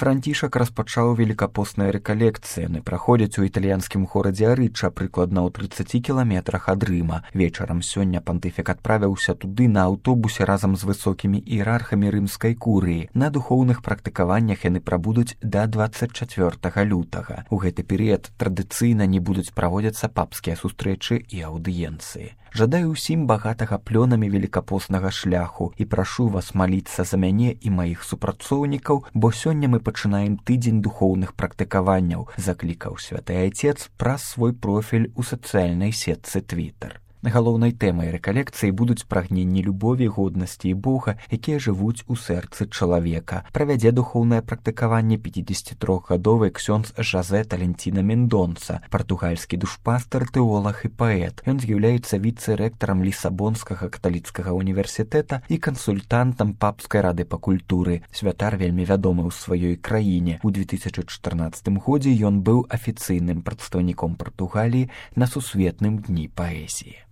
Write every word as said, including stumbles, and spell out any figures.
Францішак распачаў велікапосныя рэкалекцыі. Яны праходзяць у італьянскім горадзе Арыча, прыкладна ў трыццаці кіламетрах ад Рыма. Вечарам сёння пантыфік адправіўся туды на аўтобусе разам з высокімі іерархамі рымскай курыі. На духоўных практыкаваннях яны прабудуць да дваццаць чацвёртага лютага. У гэты перыяд традыцыйна не будуць праводзіцца папскія сустрэчы і аўдыенцыі. Жадаю ўсім багатага плёнамі велікапоснага шляху і прашу вас маліцца за мяне і маіх супрацоўнікаў, бо сёння мы пачынаем тыдзень духоўных практыкаванняў, заклікаў святы айцец праз свой профіль у сацыяльнай сетцы Твітер. Галоўнай тэмай рэкалекцыі будуць прагненні любові, годнасці і Бога, якія жывуць у сэрцы чалавека. Правядзе духоўнае практыкаванне пяцідзесяцітрохгадовы ксёндз Жазэ Таленціна Мендонца, партугальскі душпастар, тэолаг і паэт. Ён з'яўляецца віцэ-рэктарам Лісабонскага каталіцкага універсітэта і кансультантам папскай рады па культуры. Святар вельмі вядомы ў сваёй краіне. У две тысячы чатырнаццатым годзе ён быў афіцыйным прадстаўніком Партугаліі на сусветным дні паэзіі.